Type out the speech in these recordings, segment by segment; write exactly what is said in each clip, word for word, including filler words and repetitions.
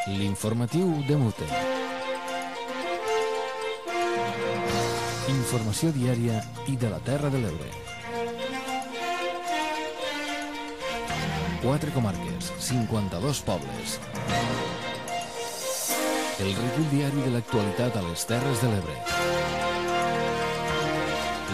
L'informatiu de Mute. Informació diària i de la Terra de l'Ebre. Quatre comarques, cinquanta-dos pobles. El recull diari de l'actualitat a les Terres de l'Ebre.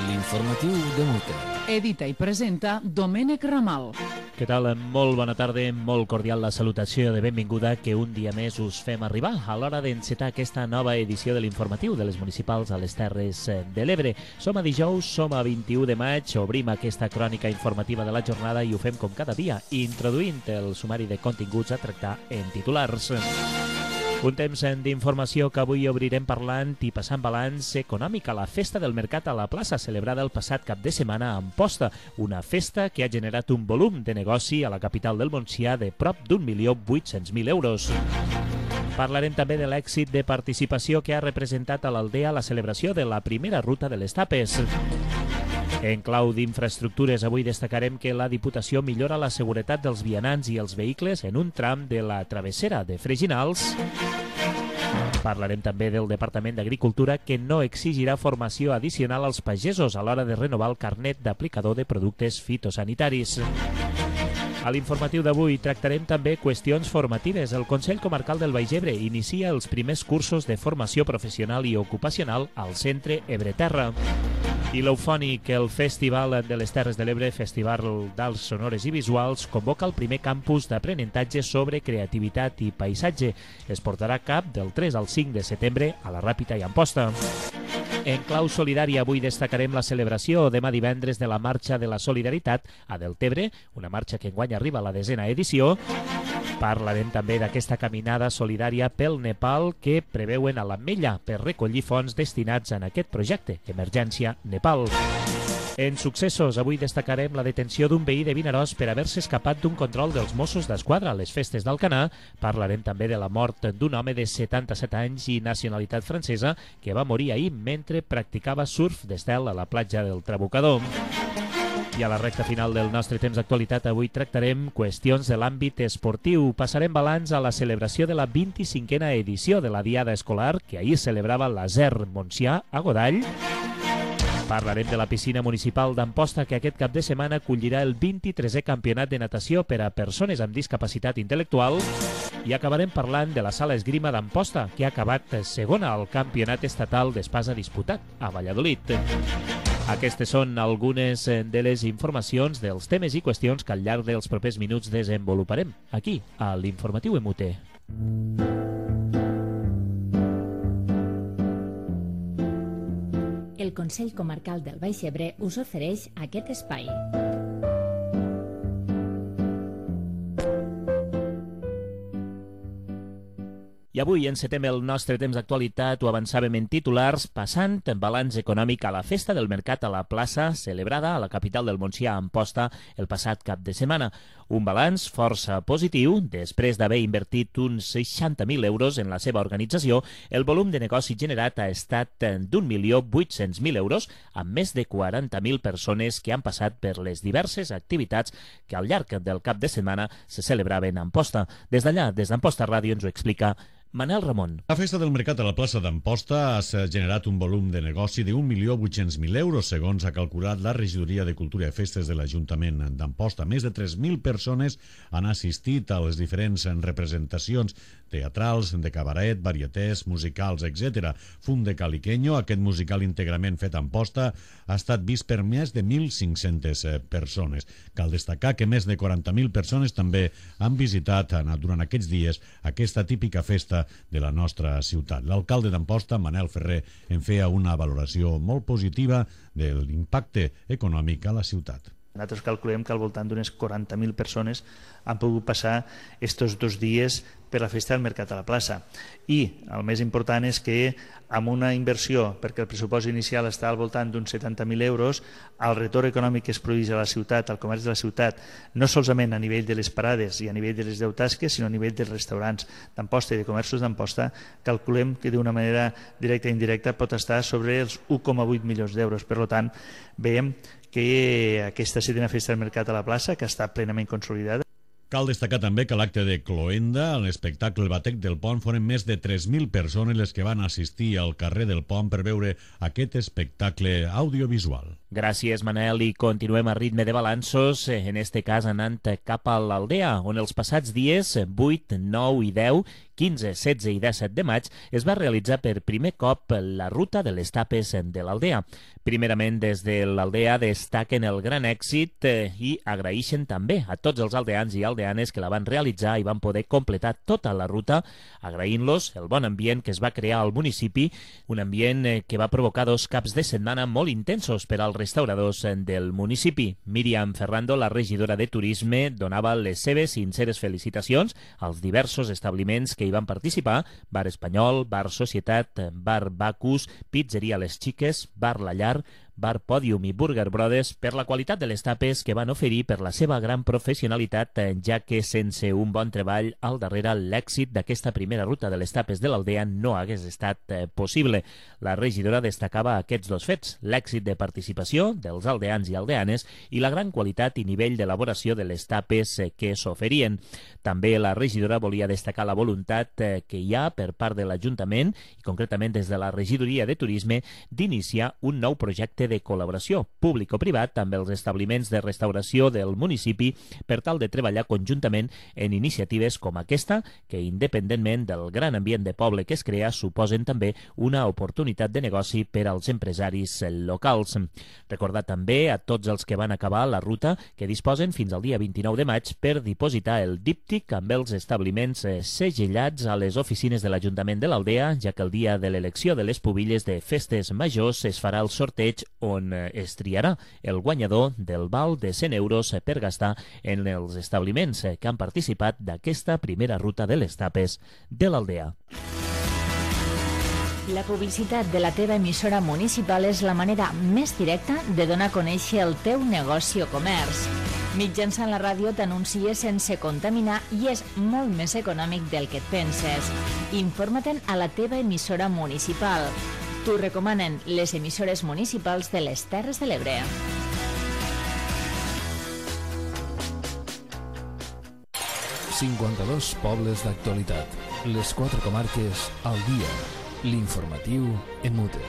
L'informatiu de Mute. Edita i presenta Domènec Ramal. Què tal? Molt bona tarda, molt cordial la salutació de benvinguda que un dia més us fem arribar a l'hora d'encetar aquesta nova edició de l'informatiu de les municipals a les Terres de l'Ebre. Som a dijous, som a vint-i-u de maig, obrim aquesta crònica informativa de la jornada i ho fem com cada dia, introduint el sumari de continguts a tractar en titulars. Un temps d'informació que avui obrirem parlant i passant balanç econòmic a la Festa del Mercat a la Plaça, celebrada el passat cap de setmana a Amposta, una festa que ha generat un volum de negoci a la capital del Montsià de prop d'un milió vuit-cents mil euros. Parlarem també de l'èxit de participació que ha representat a l'Aldea la celebració de la primera ruta de les Tapes. En clau d'infraestructures, avui destacarem que la Diputació millora la seguretat dels vianants i els vehicles en un tram de la travessera de Freginals. Parlarem també del Departament d'Agricultura, que no exigirà formació addicional als pagesos a l'hora de renovar el carnet d'aplicador de productes fitosanitaris. A l'informatiu d'avui tractarem també qüestions formatives. El Consell Comarcal del Baix Ebre inicia els primers cursos de formació professional i ocupacional al Centre Ebreterra. I l'Eufònic, el Festival de les Terres de l'Ebre, Festival d'Arts Sonores i Visuals, convoca el primer campus d'aprenentatge sobre creativitat i paisatge. Es portarà a cap del tres al cinc de setembre a la Ràpita i Amposta. En clau solidària, avui destacarem la celebració demà divendres de la Marxa de la Solidaritat a Deltebre, una marxa que enguany arriba a la desena edició. Parlarem també d'aquesta caminada solidària pel Nepal que preveuen a l'Ametlla per recollir fons destinats en aquest projecte, Emergència Nepal. En successos, avui destacarem la detenció d'un veí de Vinaròs per haver-se escapat d'un control dels Mossos d'Esquadra a les festes d'Alcanar. Parlarem també de la mort d'un home de setanta-set anys i nacionalitat francesa que va morir ahir mentre practicava surf d'estel a la platja del Trabucador. I a la recta final del nostre temps d'actualitat avui tractarem qüestions de l'àmbit esportiu. Passarem balanç a la celebració de la vint-i-cinquena edició de la Diada Escolar que ahir celebrava l'A S E R Montsià a Godall. Parlarem de la piscina municipal d'Amposta que aquest cap de setmana acollirà el vint-i-tresè campionat de natació per a persones amb discapacitat intel·lectual i acabarem parlant de la sala esgrima d'Amposta que ha acabat segona al campionat estatal d'espasa disputat a Valladolid. Aquestes són algunes de les informacions dels temes i qüestions que al llarg dels propers minuts desenvoluparem aquí a l'Informatiu M U T. El Consell Comarcal del Baix Ebre us ofereix aquest espai. I avui encetem el nostre temps d'actualitat, ho avançàvem en titulars, passant en balanç econòmic a la Festa del Mercat a la Plaça, celebrada a la capital del Montsià, Amposta, el passat cap de setmana. Un balanç força positiu, després d'haver invertit uns seixanta mil euros en la seva organització, el volum de negoci generat ha estat d'un milió vuit-cents mil euros, amb més de quaranta mil persones que han passat per les diverses activitats que al llarg del cap de setmana se celebraven a Amposta. Des d'allà, des d'Amposta Ràdio, ens ho explica Manel Ramon. La Festa del Mercat a la plaça d'Amposta ha generat un volum de negoci d'un milió vuit-cents mil euros, segons ha calculat la Regidoria de Cultura i Festes de l'Ajuntament d'Amposta. Més de tres mil persones han assistit a les diferents representacions teatrals, de cabaret, varietés, musicals, etcètera. Fum de Caliqueño, aquest musical íntegrament fet a Amposta, ha estat vist per més de mil cinc-centes persones. Cal destacar que més de quaranta mil persones també han visitat durant aquests dies aquesta típica festa de la nostra ciutat. L'alcalde d'Amposta, Manel Ferrer, en feia una valoració molt positiva de l'impacte econòmic a la ciutat. Nosaltres calculem que al voltant d'unes quaranta mil persones han pogut passar estos dos dies per la festa del Mercat a la plaça. I el més important és que amb una inversió, perquè el pressupost inicial està al voltant d'uns setanta mil euros, el retorn econòmic que es produeix a la ciutat, al comerç de la ciutat, no solament a nivell de les parades i a nivell de les deu tasques, sinó a nivell dels restaurants d'Amposta i de comerços d'Amposta, calculem que d'una manera directa i indirecta pot estar sobre els un coma vuit milions d'euros. Per tant, veiem que aquesta setena festa del Mercat a la plaça, que està plenament consolidada, Cal destacar també que a l'acte de Cloenda, a l'espectacle El Batec del Pont, foren més de tres mil persones les que van assistir al carrer del Pont per veure aquest espectacle audiovisual. Gràcies, Manel, i continuem a ritme de balanços, en este cas anant cap a l'Aldea, on els passats dies vuit, nou i deu, quinze, setze i disset de maig es va realitzar per primer cop la ruta de les tapes de l'Aldea. Primerament, des de l'Aldea destaquen el gran èxit i agraeixen també a tots els aldeans i aldeanes que la van realitzar i van poder completar tota la ruta, agraint-los el bon ambient que es va crear al municipi, un ambient que va provocar dos caps de setmana molt intensos per als restauradors del municipi. Míriam Ferrando, la regidora de Turisme, donava les seves sinceres felicitacions als diversos establiments que hi van participar: Bar Espanyol, Bar Societat, Bar Bacus, Pizzeria Les Xiques, Bar La Llar, Bar Pòdium i Burger Brothers, per la qualitat de les tapes que van oferir, per la seva gran professionalitat, ja que sense un bon treball al darrere l'èxit d'aquesta primera ruta de les tapes de l'Aldea no hagués estat eh, possible. La regidora destacava aquests dos fets: l'èxit de participació dels aldeans i aldeanes i la gran qualitat i nivell d'elaboració de les tapes eh, que s'oferien. També la regidora volia destacar la voluntat eh, que hi ha per part de l'Ajuntament, i concretament des de la regidoria de Turisme, d'iniciar un nou projecte de col·laboració públic o privat amb els establiments de restauració del municipi per tal de treballar conjuntament en iniciatives com aquesta, que independentment del gran ambient de poble que es crea, suposen també una oportunitat de negoci per als empresaris locals. Recordar també a tots els que van acabar la ruta que disposen fins al dia vint-i-nou de maig per dipositar el díptic amb els establiments segellats a les oficines de l'Ajuntament de l'Aldea, ja que el dia de l'elecció de les pubilles de festes majors es farà el sorteig on es triarà el guanyador del val de cent euros per gastar en els establiments que han participat d'aquesta primera ruta de les tapes de l'Aldea. La publicitat de la teva emissora municipal és la manera més directa de donar a conèixer el teu negoci o comerç. Mitjançant la ràdio t'anuncies sense contaminar i és molt més econòmic del que et penses. Informa-te'n a la teva emissora municipal. T'ho recomanen les emissores municipals de les Terres de l'Ebre. cinquanta-dos pobles d'actualitat. Les quatre comarques al dia. L'informatiu en mute.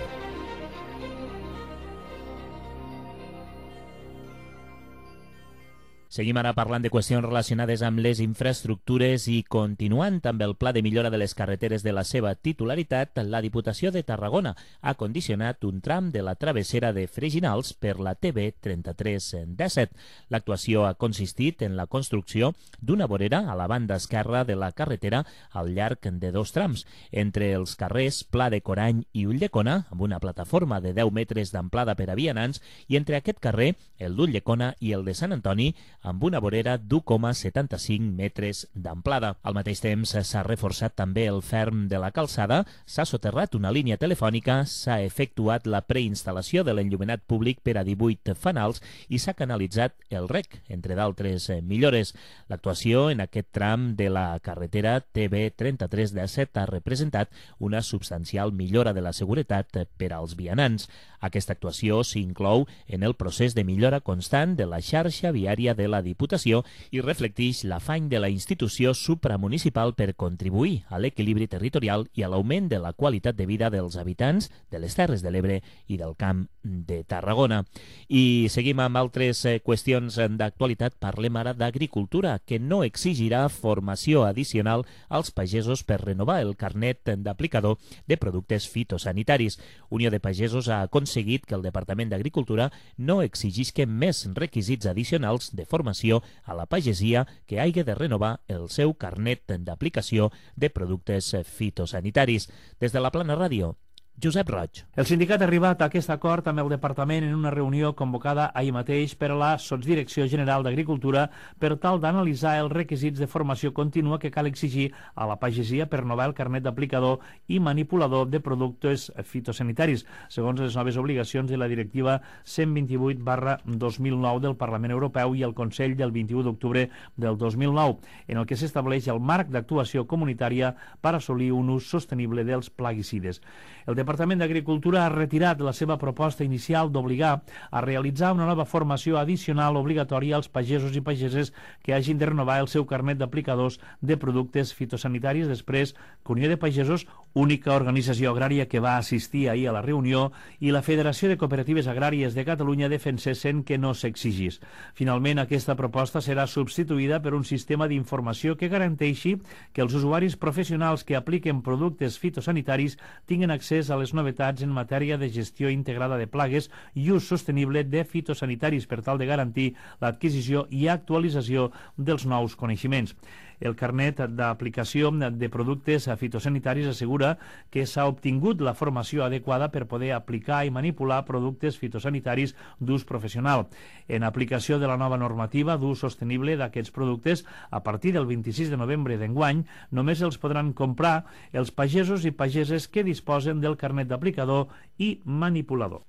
Seguim ara parlant de qüestions relacionades amb les infraestructures i continuant amb el pla de millora de les carreteres de la seva titularitat, la Diputació de Tarragona ha condicionat un tram de la travessera de Freginals per la T B trenta-tres disset. L'actuació ha consistit en la construcció d'una vorera a la banda esquerra de la carretera al llarg de dos trams, entre els carrers Pla de Corany i Ulldecona, amb una plataforma de deu metres d'amplada per a vianants, i entre aquest carrer, el d'Ulldecona i el de Sant Antoni, amb una vorera d'u coma setanta-cinc metres d'amplada. Al mateix temps s'ha reforçat també el ferm de la calçada, s'ha soterrat una línia telefònica, s'ha efectuat la preinstal·lació de l'enllumenat públic per a divuit fanals i s'ha canalitzat el rec, entre d'altres millores. L'actuació en aquest tram de la carretera T B trenta-tres disset ha representat una substancial millora de la seguretat per als vianants. Aquesta actuació s'inclou en el procés de millora constant de la xarxa viària de la Diputació i reflecteix l'afany de la institució supramunicipal per contribuir a l'equilibri territorial i a l'augment de la qualitat de vida dels habitants de les Terres de l'Ebre i del Camp de Tarragona. I seguim amb altres qüestions d'actualitat. Parlem ara d'agricultura, que no exigirà formació addicional als pagesos per renovar el carnet d'aplicador de productes fitosanitaris. Unió de Pagesos ha aconseguit que el Departament d'Agricultura no exigisca més requisits addicionals de formació a la pagesia que hagi de renovar el seu carnet d'aplicació de productes fitosanitaris. Des de la Plana Ràdio, Josep Roig. El sindicat ha arribat a aquest acord amb el departament en una reunió convocada ahir mateix per a la Sotsdirecció General d'Agricultura per tal d'analitzar els requisits de formació contínua que cal exigir a la pagesia per renovar el carnet d'aplicador i manipulador de productes fitosanitaris, segons les noves obligacions de la Directiva cent vint-i-vuit barra dos mil nou del Parlament Europeu i el Consell del vint-i-u d'octubre del dos mil nou, en el que s'estableix el marc d'actuació comunitària per assolir un ús sostenible dels plaguicides. El Departament d'Agricultura ha retirat la seva proposta inicial d'obligar a realitzar una nova formació addicional obligatòria als pagesos i pageses que hagin de renovar el seu carnet d'aplicadors de productes fitosanitaris després que Unió de Pagesos, única organització agrària que va assistir ahir a la reunió, i la Federació de Cooperatives Agràries de Catalunya defensessin que no s'exigís. Finalment, aquesta proposta serà substituïda per un sistema d'informació que garanteixi que els usuaris professionals que apliquen productes fitosanitaris tinguen accés a les novetats en matèria de gestió integrada de plagues i ús sostenible de fitosanitaris per tal de garantir l'adquisició i actualització dels nous coneixements. El carnet d'aplicació de productes fitosanitaris assegura que s'ha obtingut la formació adequada per poder aplicar i manipular productes fitosanitaris d'ús professional. En aplicació de la nova normativa d'ús sostenible d'aquests productes, a partir del vint-i-sis de novembre d'enguany, només els podran comprar els pagesos i pageses que disposen del carnet d'aplicador i manipulador.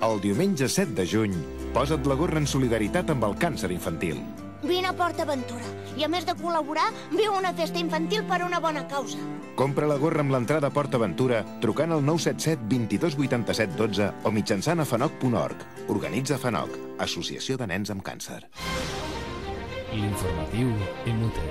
El diumenge set de juny, posa't la gorra en solidaritat amb el càncer infantil. Vine a PortAventura i, a més de col·laborar, viu una festa infantil per una bona causa. Compra la gorra amb l'entrada a PortAventura trucant al nou set set, vint-i-dos, vuitanta-set, dotze o mitjançant a fanoc punt org. Organitza Fanoc, Associació de Nens amb Càncer. L'informatiu M U T.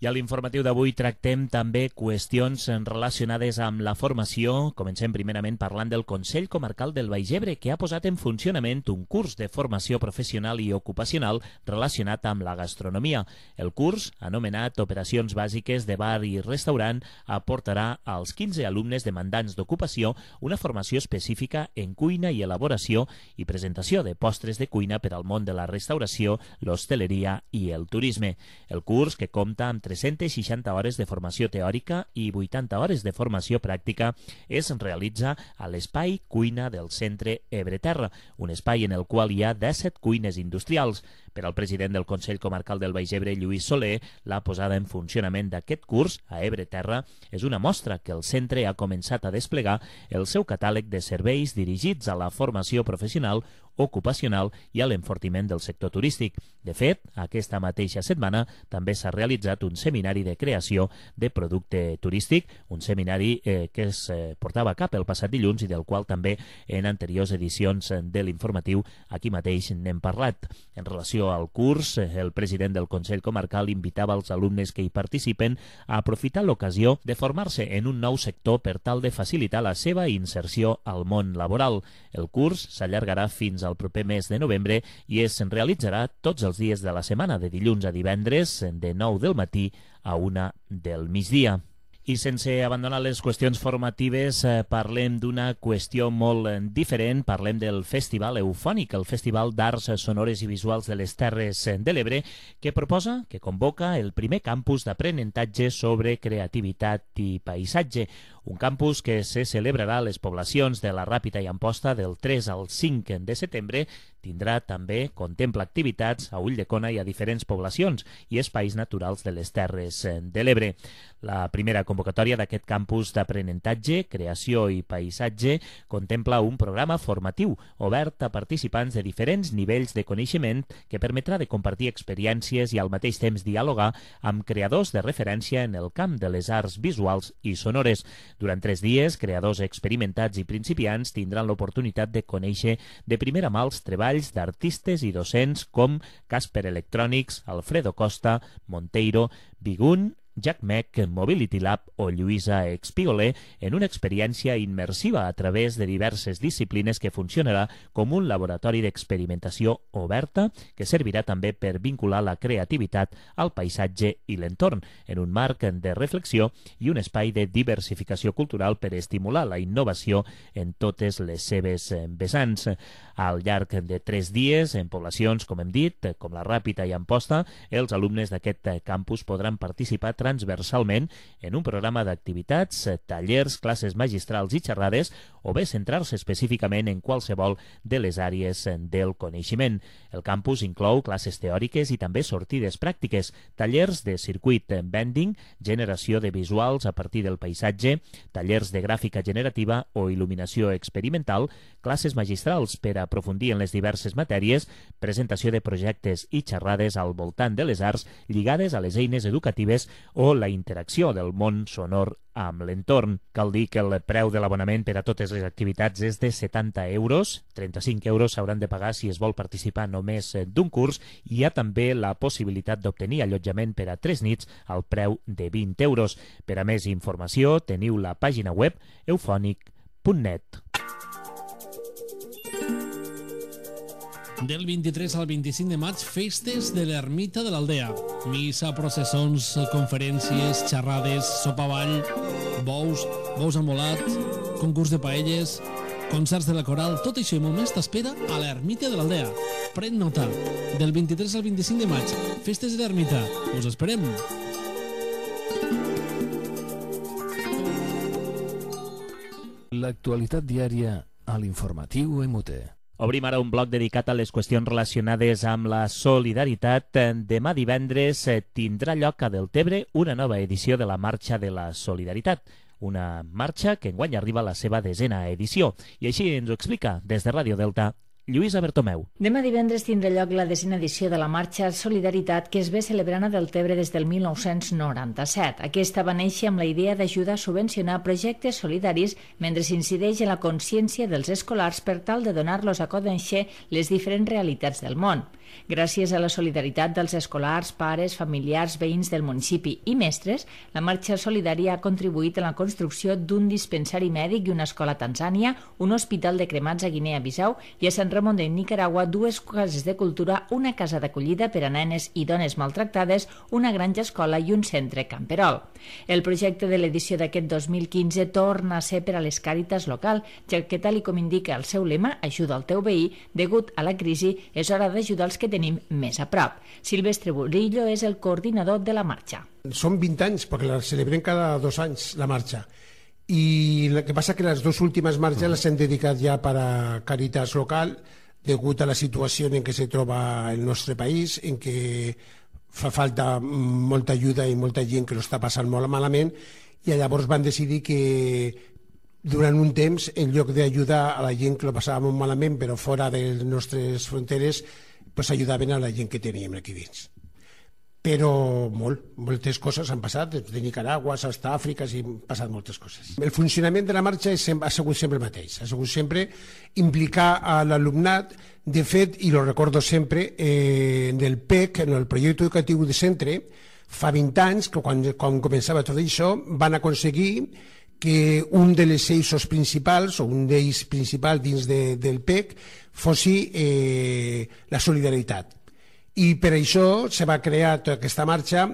I a l'informatiu d'avui tractem també qüestions relacionades amb la formació. Comencem primerament parlant del Consell Comarcal del Baix Ebre, que ha posat en funcionament un curs de formació professional i ocupacional relacionat amb la gastronomia. El curs, anomenat Operacions Bàsiques de Bar i Restaurant, aportarà als quinze alumnes demandants d'ocupació una formació específica en cuina i elaboració i presentació de postres de cuina per al món de la restauració, l'hostaleria i el turisme. El curs, que compta amb tres-centes seixanta hores de formació teòrica i vuitanta hores de formació pràctica, es realitza a l'Espai Cuina del Centre Ebre-Terra, un espai en el qual hi ha disset cuines industrials. Per al president del Consell Comarcal del Baix Ebre, Lluís Soler, la posada en funcionament d'aquest curs a Ebre-Terra és una mostra que el centre ha començat a desplegar el seu catàleg de serveis dirigits a la formació professional, ocupacional i a l'enfortiment del sector turístic. De fet, aquesta mateixa setmana també s'ha realitzat un seminari de creació de producte turístic, un seminari eh, que es eh, portava a cap el passat dilluns i del qual també en anteriors edicions de l'informatiu aquí mateix n'hem parlat. En relació al curs, el president del Consell Comarcal invitava als alumnes que hi participen a aprofitar l'ocasió de formar-se en un nou sector per tal de facilitar la seva inserció al món laboral. El curs s'allargarà fins al proper mes de novembre i es realitzarà tots els dies de la setmana, de dilluns a divendres, de nou del matí a una del migdia. I sense abandonar les qüestions formatives, eh, parlem d'una qüestió molt eh, diferent. Parlem del Festival Eufònic, el Festival d'Arts Sonores i Visuals de les Terres de l'Ebre, que proposa, que convoca el primer campus d'aprenentatge sobre creativitat i paisatge. Un campus que se celebrarà a les poblacions de la Ràpita i Amposta del tres al cinc de setembre. Tindrà també, contempla activitats a Ulldecona i a diferents poblacions i espais naturals de les Terres de l'Ebre. La primera convocatòria d'aquest campus d'aprenentatge, creació i paisatge contempla un programa formatiu obert a participants de diferents nivells de coneixement que permetrà de compartir experiències i al mateix temps dialogar amb creadors de referència en el camp de les arts visuals i sonores. Durant tres dies, creadors experimentats i principiants tindran l'oportunitat de conèixer de primera mà els treballs d'artistes i docents com Casper Electronics, Alfredo Costa, Monteiro, Bigun, Jack Meck, Mobility Lab o Lluïsa Expigoler en una experiència immersiva a través de diverses disciplines que funcionarà com un laboratori d'experimentació oberta que servirà també per vincular la creativitat al paisatge i l'entorn en un marc de reflexió i un espai de diversificació cultural per estimular la innovació en totes les seves vessants. Al llarg de tres dies, en poblacions, com hem dit, com la Ràpita i Amposta, els alumnes d'aquest campus podran participar transversalment en un programa d'activitats, tallers, classes magistrals i xerrades o bé centrar-se específicament en qualsevol de les àrees del coneixement. El campus inclou classes teòriques i també sortides pràctiques, tallers de circuit bending, generació de visuals a partir del paisatge, tallers de gràfica generativa o il·luminació experimental, classes magistrals per aprofundir en les diverses matèries, presentació de projectes i xerrades al voltant de les arts lligades a les eines educatives o la interacció del món sonor amb l'entorn. Cal dir que el preu de l'abonament per a totes les activitats és de setanta euros, trenta-cinc euros s'hauran de pagar si es vol participar només d'un curs, i hi ha també la possibilitat d'obtenir allotjament per a tres nits al preu de vint euros. Per a més informació teniu la pàgina web eufonic punt net. Del vint-i-tres al vint-i-cinc de maig, festes de l'Ermita de l'Aldea. Missa, processons, conferències, xerrades, sopa-ball, bous, bous amb volat, concurs de paelles, concerts de la coral, tot això i molt més t'espera a l'Ermita de l'Aldea. Pren nota, del vint-i-tres al vint-i-cinc de maig, festes de l'Ermita. Us esperem! L'actualitat diària a l'informatiu M U T. Obrim ara un bloc dedicat a les qüestions relacionades amb la solidaritat. Demà divendres tindrà lloc a Deltebre una nova edició de la Marxa de la Solidaritat. Una marxa que enguany arriba a la seva desena edició. I així ens ho explica des de Ràdio Delta Lluïsa Bertomeu. Demà divendres tindrà lloc la desena edició de la Marxa Solidaritat, que es ve celebrant a Deltebre des del mil nou-cents noranta-set. Aquesta va néixer amb la idea d'ajudar a subvencionar projectes solidaris mentre s'incideix en la consciència dels escolars per tal de donar-los a conèixer les diferents realitats del món. Gràcies a la solidaritat dels escolars, pares, familiars, veïns del municipi i mestres, la Marxa Solidària ha contribuït a la construcció d'un dispensari mèdic i una escola a Tanzània, un hospital de cremats a Guinea-Bissau i a Sant Ramon de Nicaragua, dues cases de cultura, una casa d'acollida per a nenes i dones maltractades, una granja escola i un centre camperol. El projecte de l'edició d'aquest dos mil quinze torna a ser per a les càritas local, ja que, tal com indica el seu lema, ajuda al teu veí, degut a la crisi és hora d'ajudar els que tenim més a prop. Silvestre Burillo és el coordinador de la marxa. Són vint anys, perquè la celebrem cada dos anys, la marxa. I el que passa que les dues últimes marxes les hem dedicat ja per a càritas local, degut a la situació en què se troba el nostre país, en què fa falta molta ajuda i molta gent que lo està passant molt malament, i llavors van decidir que durant un temps, en lloc d'ajudar a la gent que lo passava molt malament, però fora de les nostres fronteres, pues ajudaven a la gent que teníem aquí dins. Però molt, moltes coses han passat, de Nicaragua fins a Àfrica, i han passat moltes coses. El funcionament de la marxa ha sigut sempre el mateix, ha sigut sempre implicar a l'alumnat. De fet, i lo recordo sempre, eh, en el P E C, en el projecte educatiu de centre, fa vint anys, que quan, quan començava tot això, van aconseguir que un dels eixos principals, o un d'ells principal dins de, del P E C, fossi eh, la solidaritat. I per això se va crear tota aquesta marxa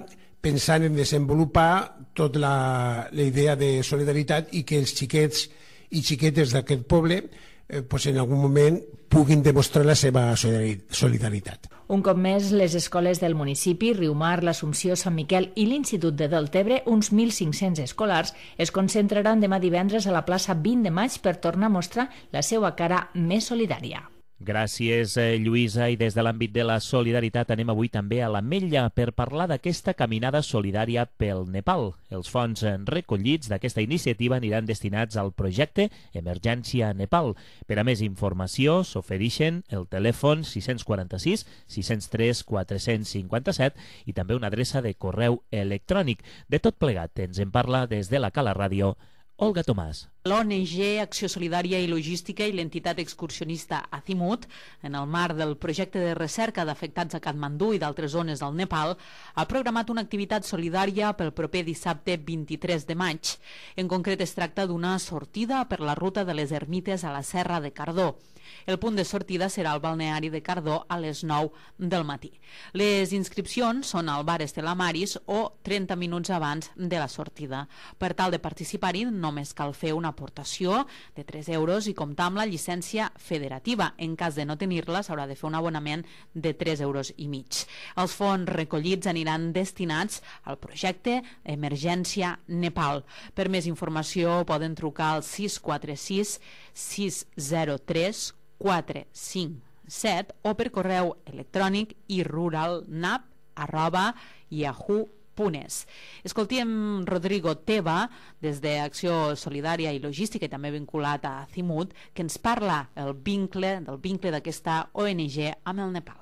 pensant en desenvolupar tota la, la idea de solidaritat i que els xiquets i xiquetes d'aquest poble eh, pues en algun moment puguin demostrar la seva solidaritat. Un cop més, les escoles del municipi, Riumar, l'Assumpció, Sant Miquel i l'Institut de Deltebre, uns mil cinc-cents escolars, es concentraran demà divendres a la plaça vint de maig per tornar a mostrar la seva cara més solidària. Gràcies, Lluïsa. I des de l'àmbit de la solidaritat anem avui també a l'Ametlla per parlar d'aquesta caminada solidària pel Nepal. Els fons recollits d'aquesta iniciativa aniran destinats al projecte Emergència Nepal. Per a més informació s'ofereixen el telèfon sis quatre sis, sis zero tres, quatre cinc set i també una adreça de correu electrònic. De tot plegat ens en parla des de la Cala Ràdio Olga Tomàs. L'O N G Acció Solidària i Logística i l'entitat excursionista Azimut, en el marc del projecte de recerca d'afectats a Katmandú i d'altres zones del Nepal, ha programat una activitat solidària pel proper dissabte vint-i-tres de maig. En concret, es tracta d'una sortida per la ruta de les ermites a la Serra de Cardó. El punt de sortida serà al balneari de Cardó a les nou del matí. Les inscripcions són al bar Estela Maris o trenta minuts abans de la sortida. Per tal de participar-hi, només només cal fer una aportació de tres euros i comptar amb la llicència federativa. En cas de no tenir-la, s'haurà de fer un abonament de tres euros i mig. Els fons recollits aniran destinats al projecte Emergència Nepal. Per més informació poden trucar al sis quatre sis sis zero tres quatre cinc set o per correu electrònic iruralnap arroba yahoo punt es. Escoltem Rodrigo Teba, des d'Acció Solidària i Logística i també vinculat a Cimut, que ens parla el vincle, del vincle d'aquesta O N G amb el Nepal.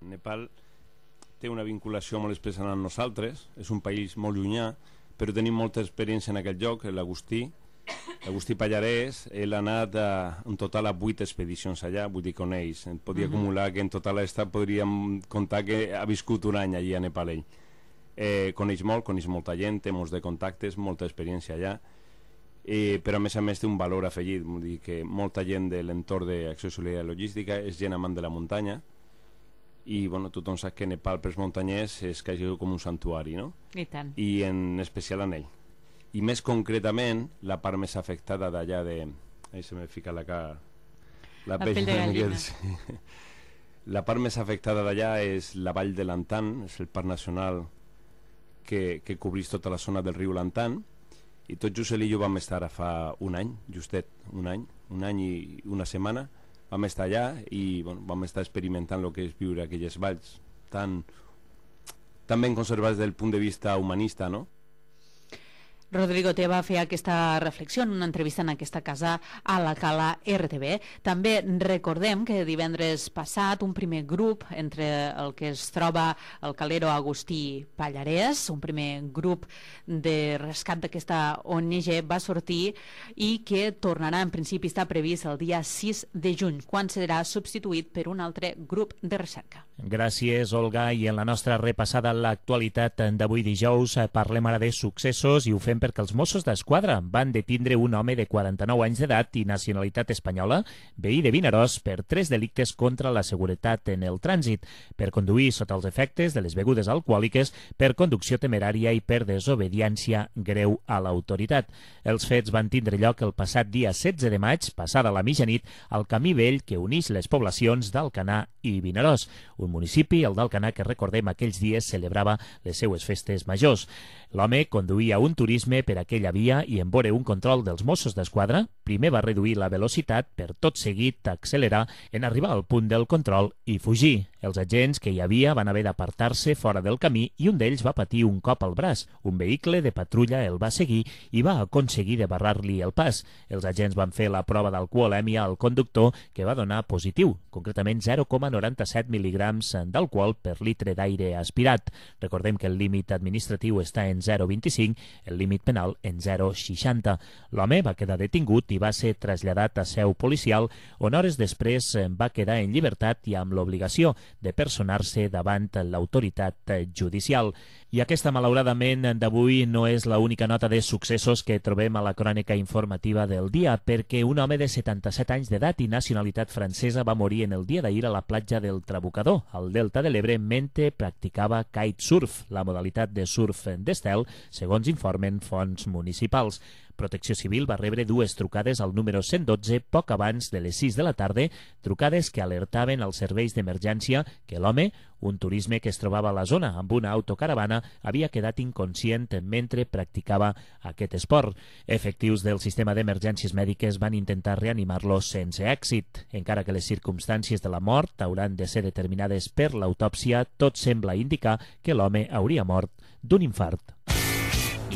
Nepal té una vinculació molt especial amb nosaltres, és un país molt llunyà, però tenim molta experiència en aquest lloc. L'Agustí, l'Agustí Pallarès, ell ha anat a, en total a vuit expedicions allà, vull dir, coneix. Podia uh -huh. acumular que en total esta podríem contar que ha viscut un any allí a Nepal ell. Eh, coneix molt, coneix molta gent, té molts de contactes, molta experiència allà, eh, però a més a més té un valor afegit, vull dir que molta gent de l'entorn d'Acció Solidària i Logística és gent amant de la muntanya, i bueno, tothom sap que Nepal pels muntanyers és quasi com un santuari, no? I tant. I en especial en ell. I més concretament, la part més afectada d'allà de... Ahí se me fica la cara... La, la pell de gallina. Sí. La part més afectada d'allà és la vall de l'Antan, és el parc nacional que, que cobrís tota la zona del riu Lantan, i tot just ell i jo vam estar ara fa un any, justet un any, un any i una setmana, vam estar allà i bueno, vam estar experimentant el que és viure aquelles valls tan, tan ben conservades des del punt de vista humanista, no? Rodrigo Teba feia aquesta reflexió en una entrevista en aquesta casa a la Cala R T B. També recordem que divendres passat un primer grup entre el que es troba el calero Agustí Pallarès, un primer grup de rescat d'aquesta O N G va sortir i que tornarà, en principi està previst el dia sis de juny, quan serà substituït per un altre grup de recerca. Gràcies, Olga. I en la nostra repassada a l'actualitat d'avui dijous parlem ara de successos i ho fem perquè els Mossos d'Esquadra van detindre un home de quaranta-nou anys d'edat i nacionalitat espanyola, veí de Vinaròs, per tres delictes contra la seguretat en el trànsit, per conduir sota els efectes de les begudes alcohòliques, per conducció temerària i per desobediència greu a l'autoritat. Els fets van tindre lloc el passat dia setze de maig, passada la mitjanit, al camí vell que uneix les poblacions d'Alcanar i Vinaròs, un municipi, el d'Alcanar, que recordem aquells dies celebrava les seues festes majors. L'home conduïa un turisme per aquella via i en veure un control dels Mossos d'Esquadra, primer va reduir la velocitat per tot seguit accelerar en arribar al punt del control i fugir. Els agents que hi havia van haver d'apartar-se fora del camí i un d'ells va patir un cop al braç. Un vehicle de patrulla el va seguir i va aconseguir de barrar-li el pas. Els agents van fer la prova d'alcoholèmia al conductor, que va donar positiu, concretament zero coma noranta-set mil·ligrams d'alcohol per litre d'aire aspirat. Recordem que el límit administratiu està en zero coma vint-i-cinc, el límit penal en zero coma seixanta. L'home va quedar detingut i va ser traslladat a seu policial, on hores després va quedar en llibertat i amb l'obligació de personar-se davant l'autoritat judicial. I aquesta, malauradament, d'avui no és l'única nota de successos que trobem a la crònica informativa del dia, perquè un home de setanta-set anys d'edat i nacionalitat francesa va morir en el dia d'ahir a la platja del Trabucador, al Delta de l'Ebre, mentre practicava kitesurf, la modalitat de surf d'estel, segons informen fonts municipals. Protecció Civil va rebre dues trucades al número cent dotze poc abans de les sis de la tarda, trucades que alertaven als serveis d'emergència que l'home, un turisme que es trobava a la zona amb una autocaravana, havia quedat inconscient mentre practicava aquest esport. Efectius del sistema d'emergències mèdiques van intentar reanimar-lo sense èxit. Encara que les circumstàncies de la mort hauran de ser determinades per l'autòpsia, tot sembla indicar que l'home hauria mort d'un infart.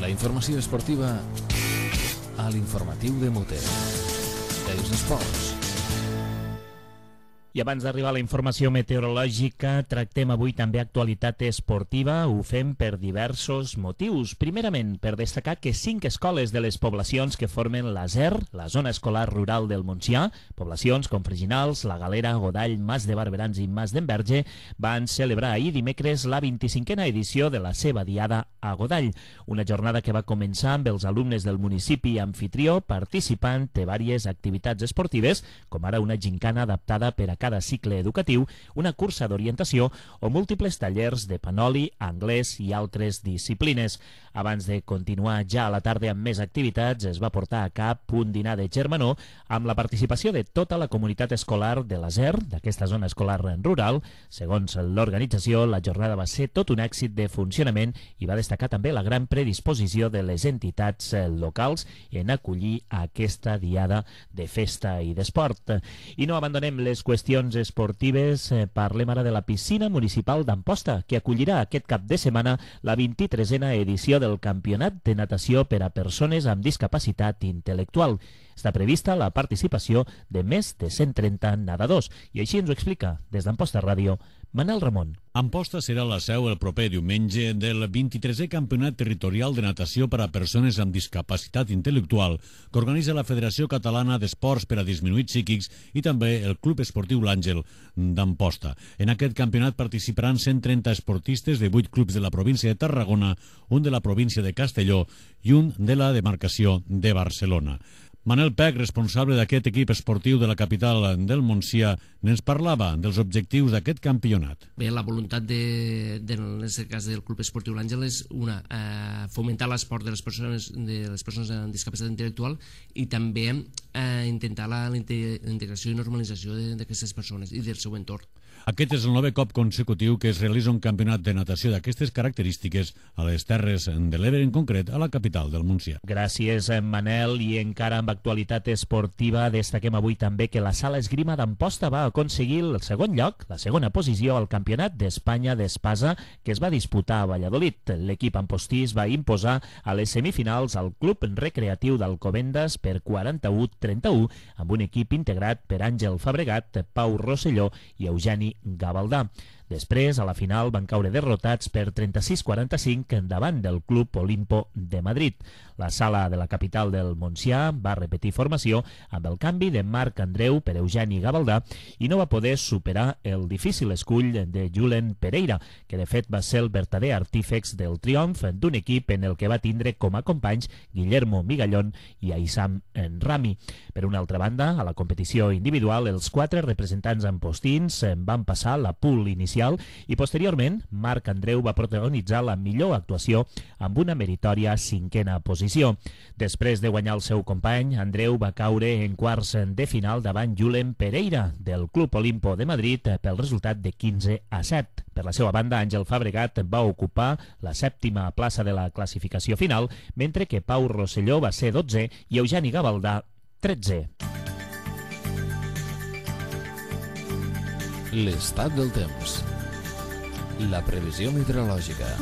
La informació esportiva a l'informatiu de Mote. Els esports. I abans d'arribar a la informació meteorològica, tractem avui també actualitat esportiva. Ho fem per diversos motius. Primerament, per destacar que cinc escoles de les poblacions que formen la Z E R, la zona escolar rural del Montsià, poblacions com Freginals, La Galera, Godall, Mas de Barberans i Mas d'Enverge, van celebrar ahir dimecres la vint-i-cinquena edició de la seva diada a Godall. Una jornada que va començar amb els alumnes del municipi anfitrió participant de diverses activitats esportives, com ara una gincana adaptada per a cada cicle educatiu, una cursa d'orientació o múltiples tallers de panoli, anglès i altres disciplines. Abans de continuar ja a la tarda amb més activitats, es va portar a cap un dinar de germanor amb la participació de tota la comunitat escolar de l'Aser, d'aquesta zona escolar rural. Segons l'organització, la jornada va ser tot un èxit de funcionament i va destacar també la gran predisposició de les entitats locals en acollir aquesta diada de festa i d'esport. I no abandonem les qüestions esportives, parlem ara de la piscina municipal d'Amposta, que acollirà aquest cap de setmana la vint-i-tresena edició del Campionat de Natació per a persones amb discapacitat intel·lectual. Està prevista la participació de més de cent trenta nedadors, i així ens ho explica des d'Amposta Ràdio Manel Ramon. Amposta serà la seu el proper diumenge del vint-i-tresè Campionat Territorial de Natació per a Persones amb Discapacitat Intel·lectual que organitza la Federació Catalana d'Esports per a Disminuïts Psíquics i també el Club Esportiu L'Àngel d'Amposta. En aquest campionat participaran cent trenta esportistes de vuit clubs de la província de Tarragona, un de la província de Castelló i un de la demarcació de Barcelona. Manel Pec, responsable d'aquest equip esportiu de la capital del Montsià, ens parlava dels objectius d'aquest campionat. Bé, la voluntat de, de, en aquest cas del Club Esportiu L'Àngel és una, eh, fomentar l'esport de les persones de les persones amb discapacitat intel·lectual i també eh, intentar la, la integració i normalització d'aquestes persones i del seu entorn. Aquest és el novè cop consecutiu que es realitza un campionat de natació d'aquestes característiques a les Terres de l'Ebre, en concret a la capital del Montsià. Gràcies, Manel. I encara amb actualitat esportiva, destaquem avui també que la Sala Esgrima d'Amposta va aconseguir el segon lloc, la segona posició al Campionat d'Espanya d'Espasa, que es va disputar a Valladolid. L'equip ampostí es va imposar a les semifinals al Club Recreatiu d'Alcobendas per quaranta-u a trenta-u, amb un equip integrat per Àngel Fabregat, Pau Rosselló i Eugeni Gavaldà. Després, a la final, van caure derrotats per trenta-sis a quaranta-cinc davant del Club Olimpo de Madrid. La sala de la capital del Montsià va repetir formació amb el canvi de Marc Andreu per Eugeni Gavaldà i no va poder superar el difícil escull de Julen Pereira, que de fet va ser el vertader artífex del triomf d'un equip en el que va tindre com a companys Guillermo Migallón i Aissam Rami. Per una altra banda, a la competició individual, els quatre representants ampostins van passar la pool inicial i posteriorment Marc Andreu va protagonitzar la millor actuació amb una meritòria cinquena posició. Després de guanyar el seu company, Andreu va caure en quarts de final davant Julen Pereira del Club Olimpo de Madrid pel resultat de quinze a set. Per la seva banda, Àngel Fabregat va ocupar la sèptima plaça de la classificació final, mentre que Pau Rosselló va ser dotzè i Eugeni Gavaldà tretzè. L'estat del temps. La previsió meteorològica.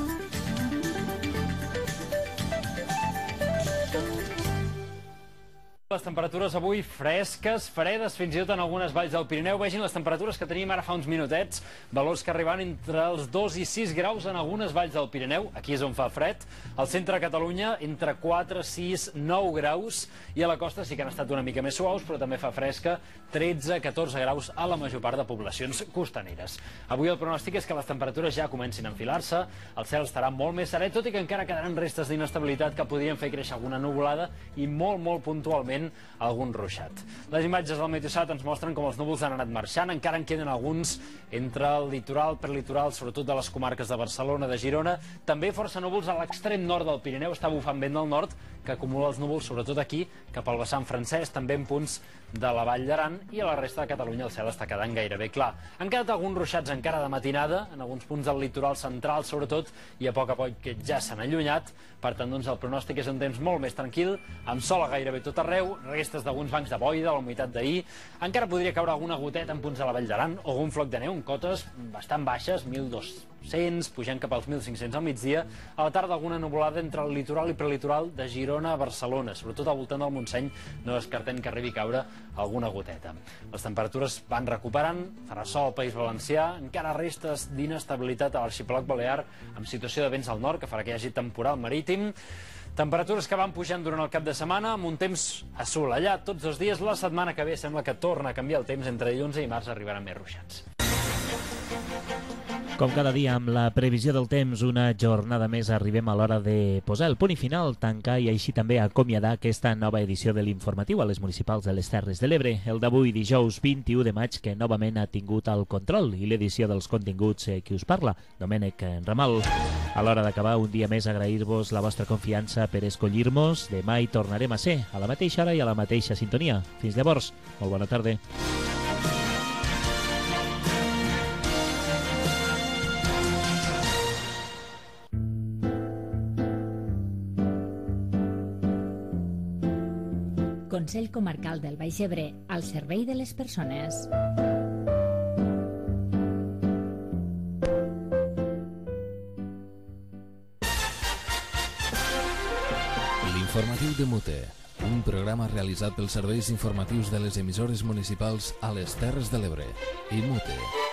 Les temperatures avui fresques, fredes, fins i tot en algunes valls del Pirineu. Vegin les temperatures que tenim ara fa uns minutets, valors que arriben entre els dos i sis graus en algunes valls del Pirineu, aquí és on fa fred. Al centre de Catalunya, entre quatre, sis, nou graus, i a la costa sí que han estat una mica més suaus, però també fa fresca, tretze a catorze graus a la major part de poblacions costaneres. Avui el pronòstic és que les temperatures ja comencin a enfilar-se, el cel estarà molt més serè, tot i que encara quedaran restes d'inestabilitat que podrien fer créixer alguna nuvolada i molt, molt puntualment algun ruixat. Les imatges del Meteosat ens mostren com els núvols han anat marxant, encara en queden alguns entre el litoral, prelitoral, sobretot de les comarques de Barcelona, de Girona, també força núvols a l'extrem nord del Pirineu, està bufant vent del nord, que acumula els núvols sobretot aquí, cap al vessant francès, també en punts de la Vall d'Aran, i a la resta de Catalunya el cel està quedant gairebé clar. Han quedat alguns ruixats encara de matinada, en alguns punts del litoral central sobretot, i a poc a poc que ja s'han allunyat, per tant doncs el pronòstic és un temps molt més tranquil, amb sol a gairebé tot arreu, restes d'alguns bancs de boira, la humitat d'ahir, encara podria caure alguna goteta en punts de la Vall d'Aran, o algun floc de neu en cotes bastant baixes, mil dos-cents, pujant cap als mil cinc-cents al migdia, a la tarda alguna nuvolada entre el litoral i prelitoral de Girona a Barcelona, sobretot al voltant del Montseny, no descartem que arribi a caure alguna goteta. Les temperatures van recuperant, farà sol al País Valencià, encara restes d'inestabilitat a l'arxipèlag balear, amb situació de vents al nord, que farà que hi hagi temporal marítim. Temperatures que van pujant durant el cap de setmana, amb un temps assolellat tots els dies. La setmana que ve sembla que torna a canviar el temps, entre dilluns i dimarts arribaran més ruixats. Com cada dia, amb la previsió del temps, una jornada més arribem a l'hora de posar el punt i final, tancar i així també acomiadar aquesta nova edició de l'informatiu a les municipals de les Terres de l'Ebre. El d'avui, dijous vint-i-u de maig, que novament ha tingut el control i l'edició dels continguts eh, qui us parla, Domènec Ramal. A l'hora d'acabar, un dia més agrair-vos la vostra confiança per escollir-nos. Demà hi tornarem a ser, a la mateixa hora i a la mateixa sintonia. Fins llavors, molt bona tarda. Consell Comarcal del Baix Ebre, al servei de les persones. L'informatiu de Mute, un programa realitzat pels serveis informatius de les emissores municipals a les Terres de l'Ebre i Mute.